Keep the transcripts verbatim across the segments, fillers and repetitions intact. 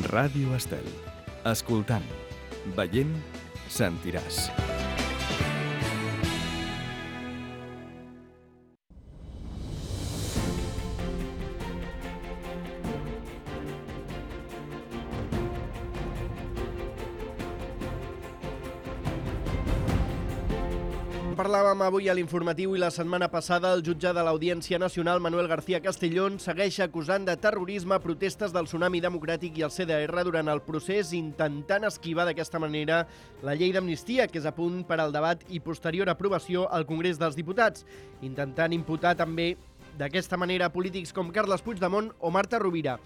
Ràdio Estel. Escoltant, veient, sentiràs. Parlàvem avui a l'informatiu i la setmana passada el jutge de l'Audiència Nacional, Manuel García Castellón, segueix acusant de terrorisme protestes del Tsunami Democràtic i el C D R durant el procés, intentant esquivar d'aquesta manera la llei d'amnistia, que és a punt per al debat i posterior aprovació al Congrés dels Diputats, intentant imputar també d'aquesta manera polítics com Carles Puigdemont o Marta Rovira.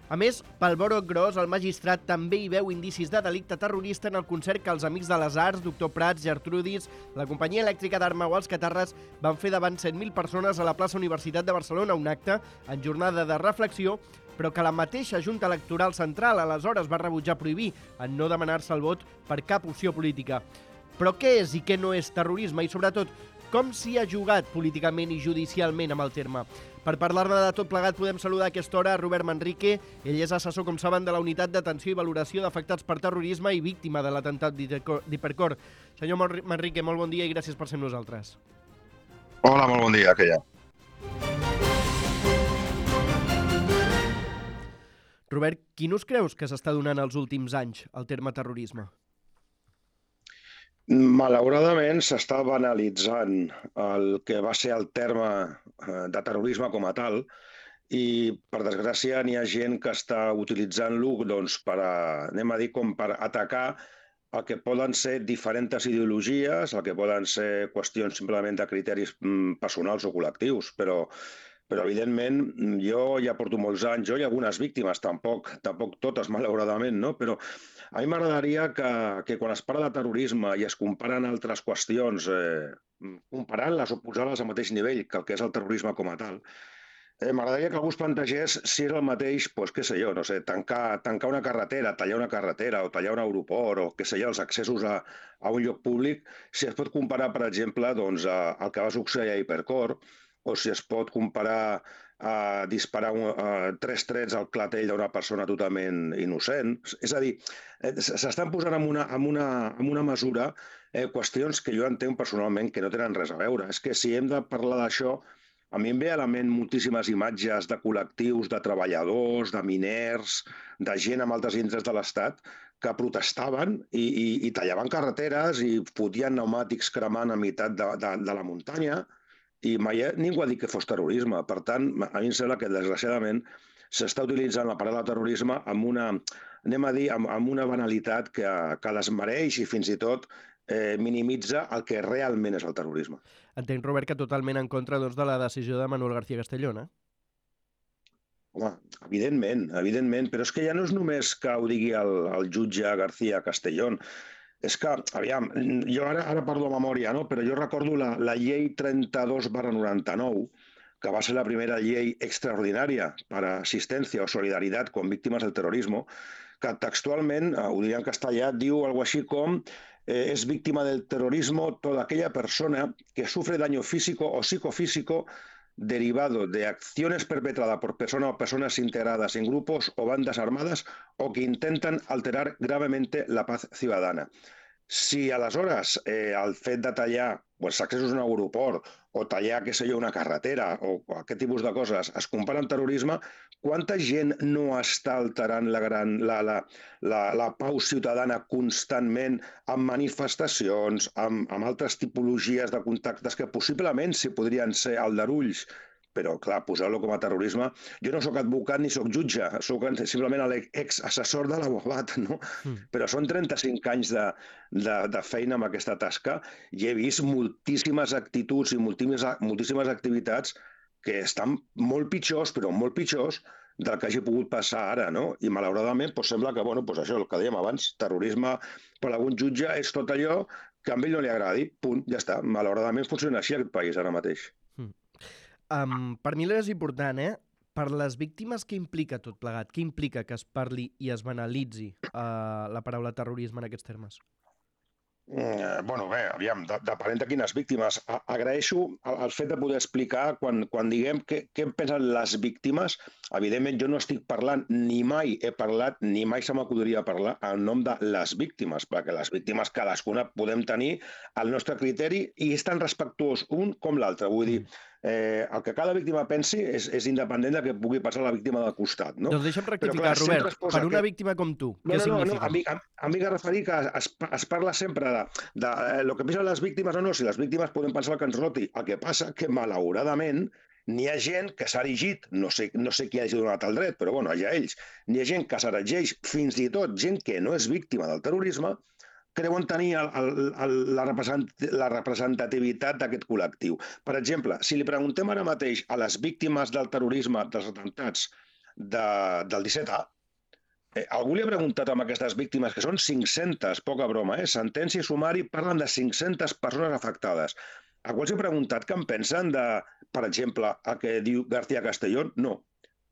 A més, pel broc gros, el magistrat també hi veu indicis de delicte terrorista en el concert que els Amics de les Arts, Doctor Prats, Gertrudis, la companyia elèctrica d'Arma o els Catarres van fer davant set mil persones a la plaça Universitat de Barcelona, un acte en jornada de reflexió, però que la mateixa Junta Electoral Central aleshores va rebutjar prohibir en no demanar-se el vot per cap opció política. Però què és i què no és terrorisme i, sobretot, com s'hi ha jugat políticament i judicialment amb el terme? Per parlar-ne de tot plegat podem saludar a aquesta hora a Robert Manrique. Ell és assessor, com saben, de la Unitat d'Atenció i Valoració d'Afectats per Terrorisme i víctima de l'atemptat d'Hipercor. Senyor Manrique, molt bon dia i gràcies per ser amb nosaltres. Hola, molt bon dia, que hi ha. Robert, quin ús creus que s'està donant els últims anys al terme terrorisme? Malauradament s'està banalitzant el que va ser el terme de terrorisme com a tal i, per desgràcia, n'hi ha gent que està utilitzant-lo doncs, per, anem a dir, com per atacar el que poden ser diferents ideologies, el que poden ser qüestions simplement de criteris personals o col·lectius, però Però, evidentment, jo ja porto molts anys, jo i algunes víctimes, tampoc, tampoc totes, malauradament, no? Però a mi m'agradaria que, que quan es parla de terrorisme i es comparen altres qüestions, eh, comparant-les o posant-les al mateix nivell que el que és el terrorisme com a tal, eh, m'agradaria que algú es plantegés si és el mateix, doncs, què sé jo, no sé, tancar, tancar una carretera, tallar una carretera o tallar un aeroport o, què sé jo, els accessos a, a un lloc públic, si es pot comparar, per exemple, doncs, a, al que va succeir a Hipercor, o si es pot comparar a disparar un, a tres trets al clatell d'una persona totalment innocent. És a dir, s'estan posant en una, en una, en una mesura eh, qüestions que jo entenc personalment que no tenen res a veure. És que si hem de parlar d'això, a mi em ve a la ment moltíssimes imatges de col·lectius, de treballadors, de miners, de gent amb altres indrets de l'Estat que protestaven i, i, i tallaven carreteres i fotien pneumàtics cremant a meitat de, de, de la muntanya. I mai ningú ha dit que fos terrorisme. Per tant, a mi em sembla que, desgraciadament, s'està utilitzant la paraula terrorisme amb una, anem a dir, amb, amb una banalitat que, que desmereix i fins i tot eh, minimitza el que realment és el terrorisme. Entenc, Robert, que totalment en contra doncs, de la decisió de Manuel García Castellón, eh? Home, evidentment, evidentment, però és que ja no és només que ho digui el, el jutge García Castellón. És que, aviam, jo ara, ara parlo de memòria, no? Però jo recordo la, la llei trenta-dos barra noranta-nou, que va ser la primera llei extraordinària per a assistència o solidaritat con víctimes del terrorisme, que textualment, ho diria en castellà, diu algo així com eh, es víctima del terrorismo toda aquella persona que sufre daño físico o psicofísico derivado de acciones perpetradas por personas o personas integradas en grupos o bandas armadas o que intentan alterar gravemente la paz ciudadana. Si aleshores eh, el fet de tallar els accessos a un aeroport o tallar, què sé jo, una carretera o aquest tipus de coses es compara amb terrorisme, quanta gent no està alterant la, gran, la, la, la, la pau ciutadana constantment amb manifestacions, amb, amb altres tipologies de contactes que possiblement si podrien ser aldarulls, però, clar, posar-lo com a terrorisme... Jo no sóc advocat ni sóc jutge, sóc simplement l'exassessor de l'abogat, no? Mm. Però són trenta-cinc anys de, de, de feina amb aquesta tasca i he vist moltíssimes actituds i moltíssimes, moltíssimes activitats que estan molt pitjors, però molt pitjors, del que hagi pogut passar ara, no? I, malauradament, doncs, sembla que, bueno, doncs això, el que dèiem abans, terrorisme per algun jutge és tot allò que a ell no li agradi, punt, ja està. Malauradament funciona així aquest país ara mateix. Mm. Um, per mi és important, eh? Per les víctimes, què implica tot plegat? Què implica que es parli i es banalitzi uh, la paraula terrorisme en aquests termes? Mm, bueno, bé, aviam, de- depenent de quines víctimes. A- Agraeixo el, el fet de poder explicar quan, quan diguem què, què en pensen les víctimes. Evidentment, jo no estic parlant, ni mai he parlat, ni mai se m'acudiria parlar en nom de les víctimes, perquè les víctimes cadascuna podem tenir el nostre criteri i és tan respectuós un com l'altre. Vull dir, eh, el que cada víctima pensi és, és independent de que pugui passar a la víctima del costat, no? Doncs deixa'm Però rectificar, clar, sempre Robert, es posa per una aquest... víctima com tu, No, què no, no, no. significa? A mi, a, a mi que referir que es, es parla sempre de, de eh, lo que pensen les víctimes o no, si les víctimes poden pensar el que ens roti. El que passa que, malauradament, n'hi ha gent que s'ha erigit, no sé, no sé qui hagi donat el dret, però bueno, ja ells, n'hi ha gent que s'erigeix, fins i tot gent que no és víctima del terrorisme, creuen tenir el, el, el, la, represent, la representativitat d'aquest col·lectiu. Per exemple, si li preguntem ara mateix a les víctimes del terrorisme, dels atemptats de, del disset A, Eh, algú li ha preguntat amb aquestes víctimes, que són cinc-centes, poca broma, eh? Sentència i sumari parlen de cinc-centes persones afectades. A quals he preguntat què en pensen de, per exemple, el que diu García Castellón? No.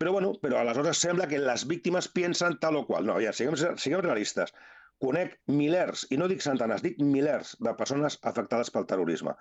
Però, bueno, però aleshores sembla que les víctimes pensen tal o qual. No, ja, siguem, siguem realistes. Conec milers, i no dic centenars, dic milers de persones afectades pel terrorisme.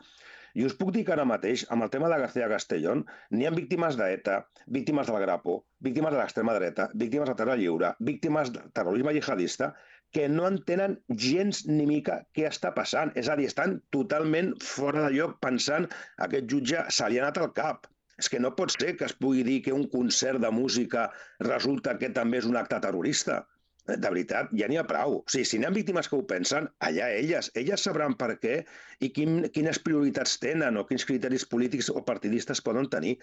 I us puc dir que ara mateix, amb el tema de García Castellón, n'hi ha víctimes d'ETA, víctimes del Grapo, víctimes de l'extrema dreta, víctimes de terra lliure, víctimes de terrorisme jihadista, que no entenen gens ni mica què està passant. És a dir, estan totalment fora de lloc pensant que aquest jutge se li ha anat al cap. És que no pot ser que es pugui dir que un concert de música resulta que també és un acte terrorista. De veritat, ja n'hi ha prou. O sigui, si n'hi ha víctimes que ho pensen, allà elles. Elles sabran per què i quin, quines prioritats tenen o quins criteris polítics o partidistes poden tenir.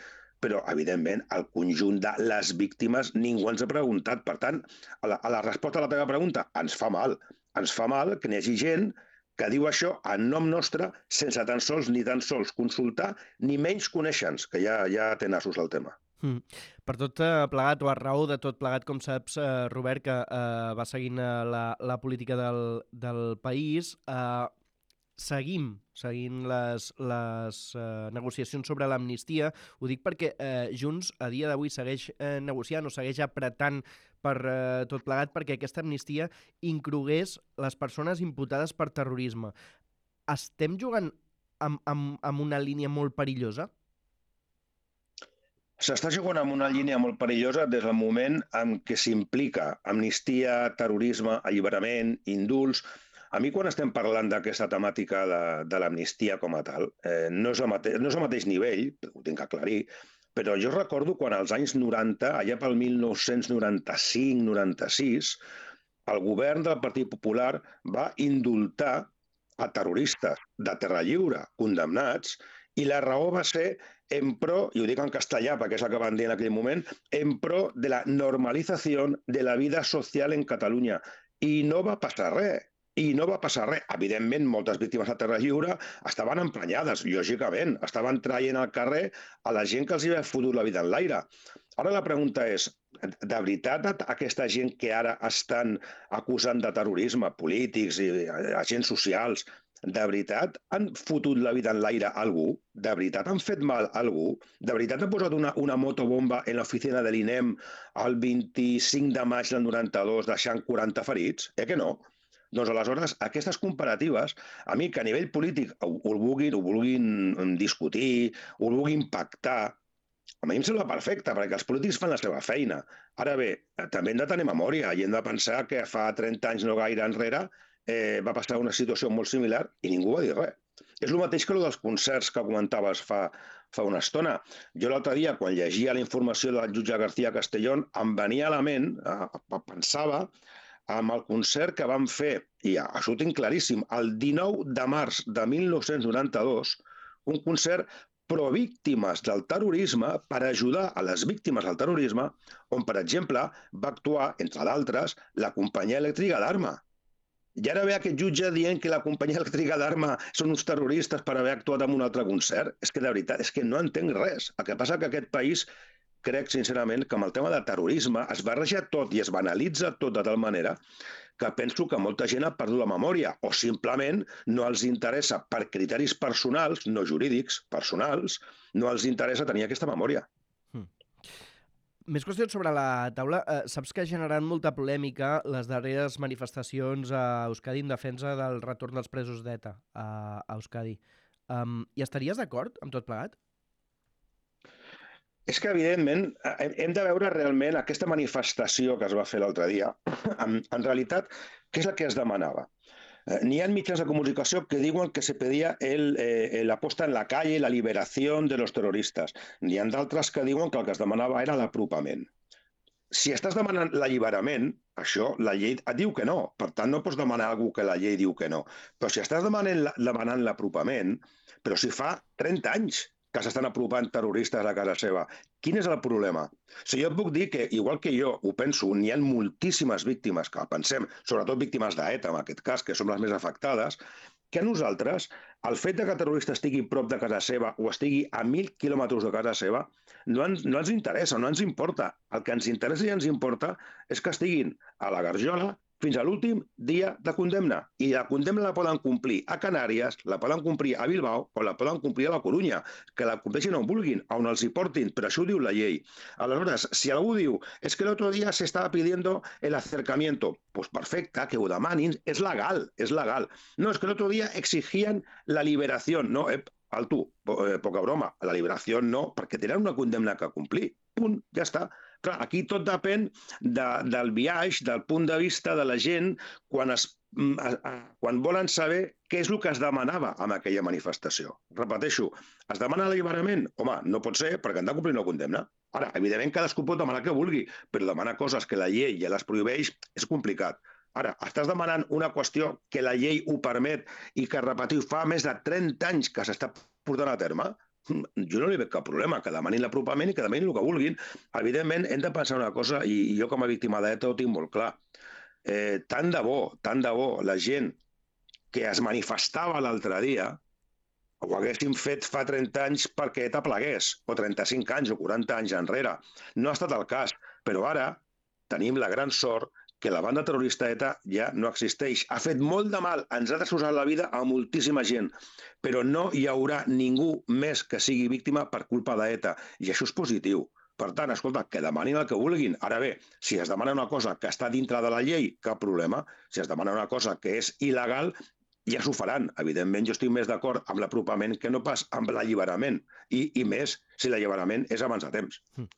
Però, evidentment, el conjunt de les víctimes ningú ens ha preguntat. Per tant, a la, a la resposta a la teva pregunta, ens fa mal. Ens fa mal que n'hi hagi gent que diu això en nom nostre sense tan sols ni tan sols consultar ni menys conèixer-nos, que ja, ja té nassos el tema. Mm. Per tot eh, plegat, o a raó de tot plegat, com saps, eh, Robert, que eh, va seguint eh, la, la política del, del país, eh, seguim seguint les, les eh, negociacions sobre l'amnistia. Ho dic perquè eh, Junts a dia d'avui segueix eh, negociant o segueix apretant per eh, tot plegat perquè aquesta amnistia inclogués les persones imputades per terrorisme. Estem jugant amb, amb, amb una línia molt perillosa? S'està jugant amb una línia molt perillosa des del moment en què s'implica amnistia, terrorisme, alliberament, indults. A mi, quan estem parlant d'aquesta temàtica de, de l'amnistia com a tal, eh, no, és mate no és el mateix nivell, ho tinc que aclarir, però jo recordo quan als anys noranta, allà pel mil nou-cents noranta-cinc noranta-sis, el govern del Partit Popular va indultar a terroristes de terra lliure condemnats, i la raó va ser en pro, i ho dic en castellà perquè és el que van dir en aquell moment, en pro de la normalització de la vida social en Catalunya. I no va passar res. I no va passar res. Evidentment, moltes víctimes de terra lliure estaven emprenyades, lògicament. Estaven traient al carrer a la gent que els havia fotut la vida en l'aire. Ara la pregunta és, de veritat aquesta gent que ara estan acusant de terrorisme, polítics i agents socials, de veritat han fotut la vida en l'aire a algú? De veritat han fet mal a algú? De veritat han posat una, una motobomba en l'oficina de l'I N E M el vint-i-cinc de maig del noranta-dos deixant quaranta ferits? Eh que no? Doncs aleshores, aquestes comparatives, a mi que a nivell polític ho, ho, vulguin, ho vulguin discutir, ho vulguin pactar, a mi em sembla perfecte, perquè els polítics fan la seva feina. Ara bé, també hem de tenir memòria i hem de pensar que fa trenta anys no gaire enrere eh, va passar una situació molt similar i ningú va dir res. És el mateix que el dels concerts que comentaves fa, fa una estona. Jo l'altre dia, quan llegia la informació del jutge García Castellón, em venia a la ment, eh, pensava, amb el concert que vam fer, i això ho tinc claríssim, el dinou de març de mil nou-cents noranta-dos, un concert pro-víctimes del terrorisme per ajudar a les víctimes del terrorisme, on, per exemple, va actuar, entre d'altres, la companyia elèctrica d'Arma. I ara ve aquest jutge dient que la companyia elèctrica d'Arma són uns terroristes per haver actuat en un altre concert. És que, de veritat, és que no entenc res. El que passa que aquest país, crec sincerament, que amb el tema de terrorisme es barreja tot i es banalitza tot de tal manera que penso que molta gent ha perdut la memòria o simplement no els interessa, per criteris personals, no jurídics, personals, no els interessa tenir aquesta memòria. Més qüestions sobre la taula. Uh, saps que ha generat molta polèmica les darreres manifestacions a Euskadi en defensa del retorn dels presos d'ETA a, a Euskadi. Um, I estaries d'acord amb tot plegat? És que, evidentment, hem de veure realment aquesta manifestació que es va fer l'altre dia. En, en realitat, què és el que es demanava? Eh, N'hi ha mitjans de comunicació que diuen que se pedía el, eh, la posta en la calle, la liberació de los terroristas. N'hi ha d'altres que diuen que el que es demanava era l'apropament. Si estàs demanant l'alliberament, això la llei et diu que no. Per tant, no pots demanar a algú que la llei diu que no. Però si estàs demanant, demanant l'apropament, però si fa trenta anys que s'estan apropant terroristes a casa seva, quin és el problema? O sigui, jo et puc dir que, igual que jo ho penso, n'hi ha moltíssimes víctimes que pensem, sobretot víctimes d'ETA, en aquest cas, que són les més afectades, que a nosaltres, el fet de que el terrorista estigui prop de casa seva o estigui a mil quilòmetres de casa seva, no ens, no ens interessa, no ens importa. El que ens interessa i ens importa és que estiguin a la Garjola fins a l'últim dia de condemna. I la condemna la poden complir a Canàries, la poden complir a Bilbao o la poden complir a la Corunya, que la compleixin on vulguin, on els hi portin, però això ho diu la llei. Aleshores, si algú diu es que el otro día se estaba pidiendo el acercamiento, pues perfecte, que ho demanin, és legal, és legal. No, es que el otro día exigían la liberación. No, eh, alto, eh, poca broma, la liberació no, perquè tenen una condemna que complir. Punt, ja està. Clar, aquí tot depèn de, del viatge, del punt de vista de la gent, quan, es, a, a, quan volen saber què és el que es demanava amb aquella manifestació. Repeteixo, es demana l'alliberament? Home, no pot ser perquè han de complir una condemna. Ara, evidentment, cadascú pot demanar que vulgui, però demanar coses que la llei ja les prohibeix és complicat. Ara, estàs demanant una qüestió que la llei ho permet i que, repetiu, fa més de trenta anys que s'està portant a terme? Jo no li veig cap problema, que demanin l'apropament i que demanin el que vulguin. Evidentment, hem de pensar una cosa, i jo com a víctima d'ETA ho tinc molt clar. Eh, tant de bo, tant de bo, la gent que es manifestava l'altre dia ho haguessin fet fa trenta anys perquè ETA plegués, o trenta-cinc anys o quaranta anys enrere. No ha estat el cas, però ara tenim la gran sort que la banda terrorista ETA ja no existeix. Ha fet molt de mal, ens ha destrossat la vida a moltíssima gent, però no hi haurà ningú més que sigui víctima per culpa d'ETA, i això és positiu. Per tant, escolta, que demanin el que vulguin. Ara bé, si es demana una cosa que està dintre de la llei, cap problema. Si es demana una cosa que és il·legal, ja s'ho faran. Evidentment, jo estic més d'acord amb l'apropament que no pas amb l'alliberament, i, i més si l'alliberament és abans de temps. Mm.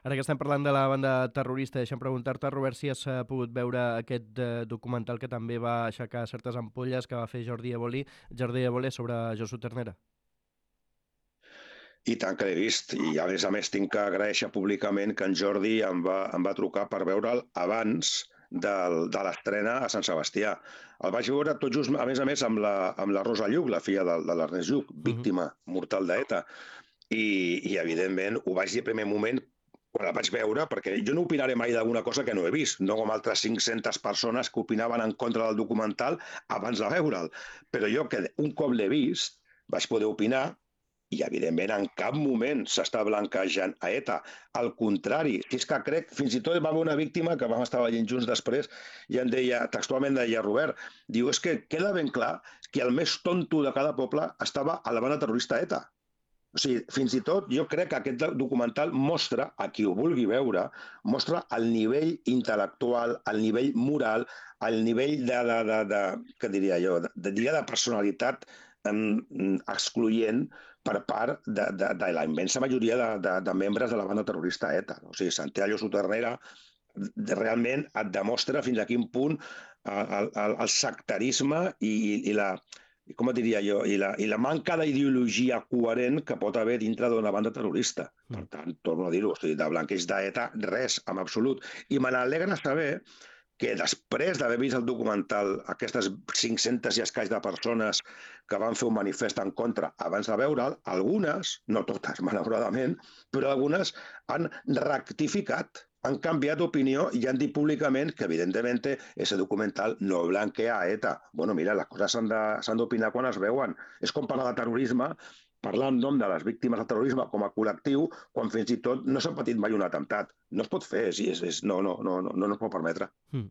Ara que estem parlant de la banda terrorista, deixa'm preguntar-te, Robert, si has pogut veure aquest eh, documental que també va aixecar certes ampolles que va fer Jordi Évole, Jordi Évole sobre Josu Ternera. I tant que l'he vist, i a més a més tinc que agraeixer públicament que en Jordi em va, em va trucar per veure'l abans del, de l'estrena a Sant Sebastià. El vaig veure tot just, a més a més, amb la, amb la Rosa Lluc, la filla de, de l'Ernest Lluc, víctima mortal d'ETA. I, I, evidentment, ho vaig dir al primer moment quan el vaig veure, perquè jo no opinaré mai d'alguna cosa que no he vist, no com altres cinc-centes persones que opinaven en contra del documental abans de veure'l. Però jo, que un cop l'he vist, vaig poder opinar, i, evidentment, en cap moment s'està blanquejant a ETA. Al contrari, és que crec, fins i tot va haver una víctima que vam estar veient junts després i em deia, textualment deia Robert, diu, és que queda ben clar que el més tonto de cada poble estava a la banda terrorista ETA. O sigui, fins i tot jo crec que aquest documental mostra, a qui ho vulgui veure, mostra el nivell intel·lectual, el nivell moral, el nivell de, de, de, de què diria jo, de, de, de personalitat um, excloent per part de, de, de la immensa majoria de, de, de membres de la banda terrorista ETA. O sigui, Santiago Soternera realment et demostra fins a quin punt el, el, el sectarisme i, i la... i com et diria jo, i la, i la manca d'ideologia coherent que pot haver dintre d'una banda terrorista. Per tant, torno a dir-ho, o sigui, de blanqueig d'ETA, res, en absolut. I me n'alegra saber que després d'haver vist el documental, aquestes cinc-centes i escaig de persones que van fer un manifest en contra abans de veure'l, algunes, no totes, malauradament, però algunes han rectificat, han canviat d'opinió i han dit públicament que, evidentment, ese documental no blanquea a ETA. Bueno, mira, les coses s'han d'opinar quan es veuen. És com parlar de terrorisme, parlar en nom de les víctimes del terrorisme com a col·lectiu, quan fins i tot no s'ha patit mai un atemptat. No es pot fer, és, és, no, no, no, no, no es pot permetre. Mm.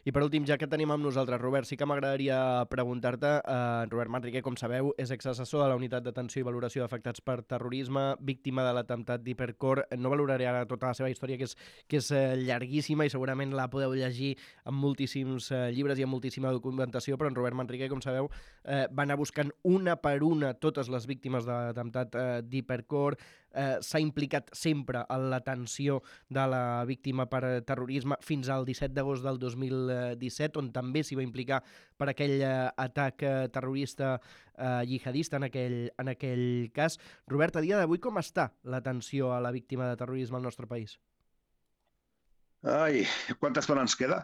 I per últim, ja que tenim amb nosaltres Robert, sí que m'agradaria preguntar-te, eh, Robert Manrique, com sabeu, és exassessor de la Unitat d'Atenció i Valoració d'Afectats per Terrorisme, víctima de l'atemptat d'Hipercor. No valoraré ara tota la seva història, que és, que és eh, llarguíssima i segurament la podeu llegir en moltíssims eh, llibres i en moltíssima documentació, però en Robert Manrique, com sabeu, eh, va anar buscant una per una totes les víctimes de l'atemptat eh, d'Hipercor, eh, s'ha implicat sempre en l'atenció de la víctima per terrorisme fins al disset d'agost del dos mil disset, on també s'hi va implicar per aquell eh, atac eh, terrorista eh, jihadista en aquell, en aquell cas. Robert, a dia d'avui com està l'atenció a la víctima de terrorisme al nostre país? Ai, quanta estona ens queda?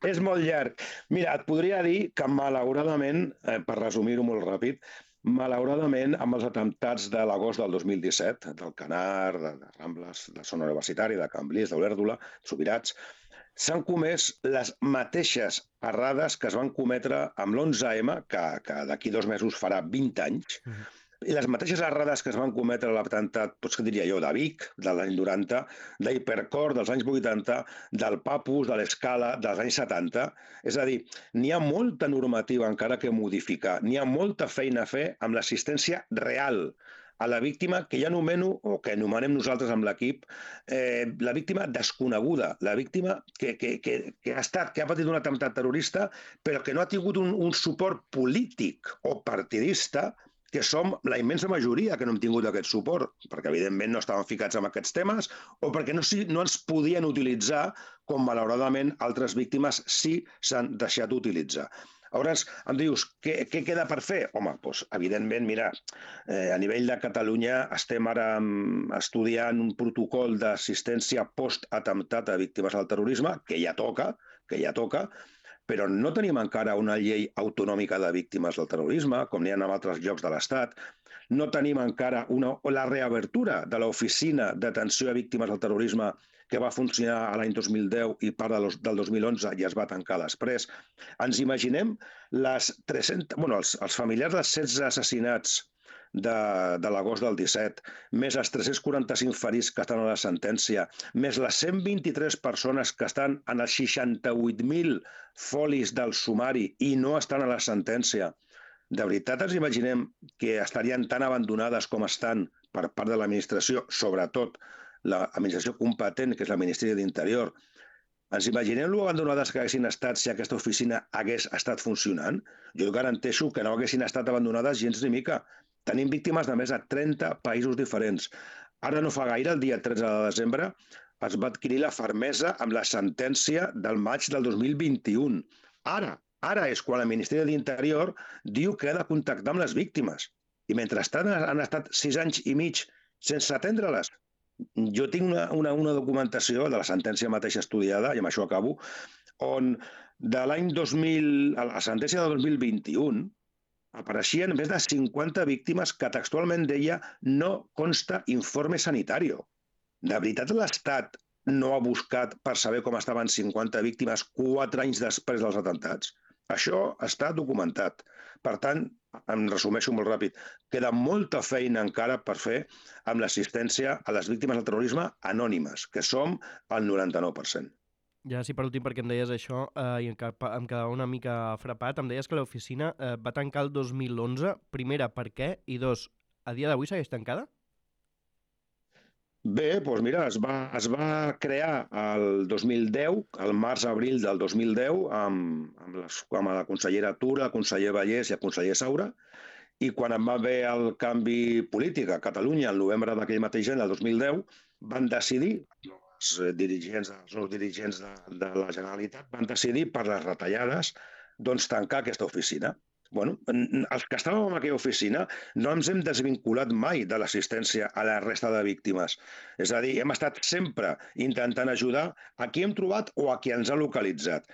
És molt llarg. Mira, et podria dir que malauradament, eh, per resumir-ho molt ràpid, malauradament amb els atemptats de l'agost del dos mil disset, del Canar, de, de Rambles, de Zona Universitària, de Cambrils, d'Olèrdola, Subirats, s'han comès les mateixes errades que es van cometre amb l'onze eme, que, que d'aquí dos mesos farà vint anys, mm. I les mateixes errades que es van cometre a l'atemptat, doncs què diria jo, de Vic, de l'any noranta, d'Hipercor, dels anys vuitanta, del Papus, de l'Escala, dels anys setanta. És a dir, n'hi ha molta normativa encara que modificar, n'hi ha molta feina a fer amb l'assistència real a la víctima que ja anomeno, o que anomenem nosaltres amb l'equip, eh, la víctima desconeguda, la víctima que, que, que, que ha estat, que ha patit un atemptat terrorista, però que no ha tingut un, un suport polític o partidista, que som la immensa majoria que no hem tingut aquest suport, perquè evidentment no estaven ficats en aquests temes o perquè no, no ens podien utilitzar com malauradament altres víctimes sí s'han deixat d'utilitzar. Llavors, em dius, què, què queda per fer? Home, doncs, evidentment, mira, eh, a nivell de Catalunya estem ara estudiant un protocol d'assistència post-atemptat a víctimes del terrorisme, que ja toca, que ja toca, però no tenim encara una llei autonòmica de víctimes del terrorisme, com n'hi ha en altres llocs de l'Estat. No tenim encara una, la reobertura de l'Oficina d'Atenció a Víctimes del Terrorisme que va funcionar l'any dos mil deu i part del dos mil onze i es va tancar després. Ens imaginem les tres-centes, bueno, els, els familiars dels setze assassinats de, de l'agost del disset, més els tres-cents quaranta-cinc ferits que estan a la sentència, més les cent vint-i-tres persones que estan en els seixanta-vuit mil folis del sumari i no estan a la sentència. De veritat ens imaginem que estarien tan abandonades com estan per part de l'administració, sobretot l'administració competent, que és el Ministeri d'Interior. Ens imaginem lo abandonades que haguessin estat si aquesta oficina hagués estat funcionant? Jo garanteixo que no haguessin estat abandonades gens ni mica. Tenim víctimes de més de trenta països diferents. Ara no fa gaire, el dia tretze de desembre, es va adquirir la fermesa amb la sentència del maig del dos mil vint-i-u. Ara, ara és quan el Ministeri d'Interior diu que ha de contactar amb les víctimes. I mentrestant han estat sis anys i mig sense atendre-les. Jo tinc una, una, una documentació de la sentència mateixa estudiada, i amb això acabo, on de l'any dos mil, a la sentència del dos mil vint-i-u, apareixien més de cinquanta víctimes que textualment deia no consta informe sanitario. De veritat l'Estat no ha buscat per saber com estaven cinquanta víctimes quatre anys després dels atemptats? Això està documentat. Per tant, em resumeixo molt ràpid, queda molta feina encara per fer amb l'assistència a les víctimes del terrorisme anònimes, que som el noranta-nou per cent. Ja, sí, per últim, perquè em deies això, eh, i em quedava una mica frapat, em deies que l'oficina eh, va tancar el dos mil onze. Primera, per què? I dos, a dia d'avui segueix tancada? Bé, doncs mira, es va, es va crear el dos mil deu, el març-abril del dos mil deu, amb, amb, les, amb la consellera Tura, el conseller Vallès i el conseller Saura, i quan en va haver el canvi polític a Catalunya, el novembre d'aquell mateix any, del dos mil deu, van decidir, els dirigents, els nous dirigents de, de la Generalitat, van decidir per les retallades doncs, tancar aquesta oficina. Bueno, els que estàvem en aquella oficina no ens hem desvinculat mai de l'assistència a la resta de víctimes. És a dir, hem estat sempre intentant ajudar a qui hem trobat o a qui ens ha localitzat.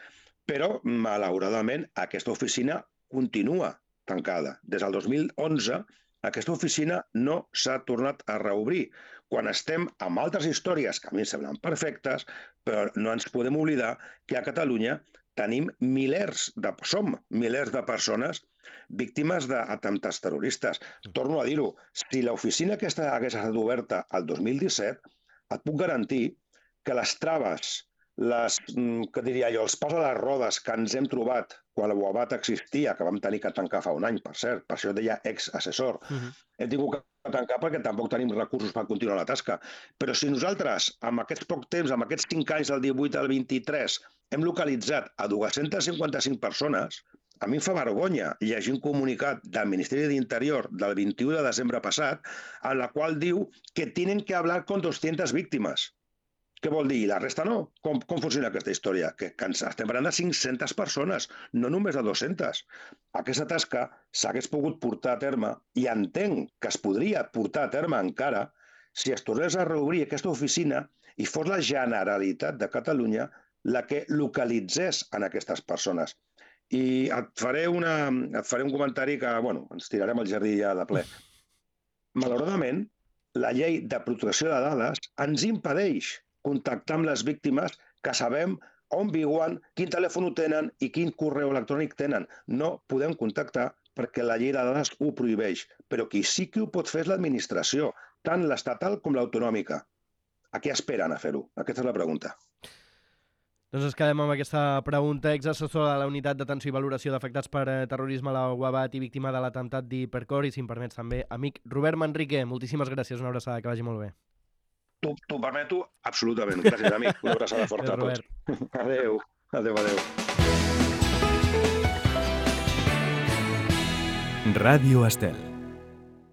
Però, malauradament, aquesta oficina continua tancada. Des del dos mil onze, aquesta oficina no s'ha tornat a reobrir. Quan estem amb altres històries que a mi em semblen perfectes, però no ens podem oblidar que a Catalunya tenim milers de, som milers de persones víctimes d'atemptats terroristes. Torno a dir-ho, si l'oficina aquesta hagués estat oberta el dos mil disset, et puc garantir que les traves, les, què diria jo, els pas a les rodes que ens hem trobat quan la UABAT existia, que vam tenir que tancar fa un any, per cert, per això deia ex-assessor, uh-huh. hem tingut que tancar perquè tampoc tenim recursos per continuar la tasca. Però si nosaltres, amb aquests poc temps, amb aquests cinc anys, del divuit al vint-i-tres, hem localitzat a dos-centes cinquanta-cinc persones, a mi em fa vergonya llegir un comunicat del Ministeri d'Interior del vint-i-u de desembre passat, en la qual diu que tenen que hablar con doscientas víctimes. Què vol dir? I la resta no? Com, com funciona aquesta història? Que, que ens estem parlant de cinc-centes persones, no només de dues-centes. Aquesta tasca s'hagués pogut portar a terme, i entenc que es podria portar a terme encara, si es tornés a reobrir aquesta oficina i fos la Generalitat de Catalunya la que localitzés en aquestes persones. I et faré, una, et faré un comentari que, bueno, ens tirarem al jardí ja de ple. Malauradament, la llei de protecció de dades ens impedeix contactar amb les víctimes que sabem on viuen, quin telèfon tenen i quin correu electrònic tenen. No podem contactar perquè la llei de dades ho prohibeix, però qui sí que ho pot fer és l'administració, tant l'estatal com l'autonòmica. A què esperen a fer-ho? Aquesta és la pregunta. Doncs ens quedem amb aquesta pregunta. Exassessor de la Unitat d'Atenció i Valoració d'Afectats per Terrorisme a la UABAT i víctima de l'atemptat d'Hipercor, i si em permets també, amic Robert Manrique, moltíssimes gràcies, una abraçada, que vagi molt bé. T'ho permeto? Absolutament. Gràcies, amic. Una abraçada forta a tots. Adéu. Adéu, adéu. Ràdio Estel.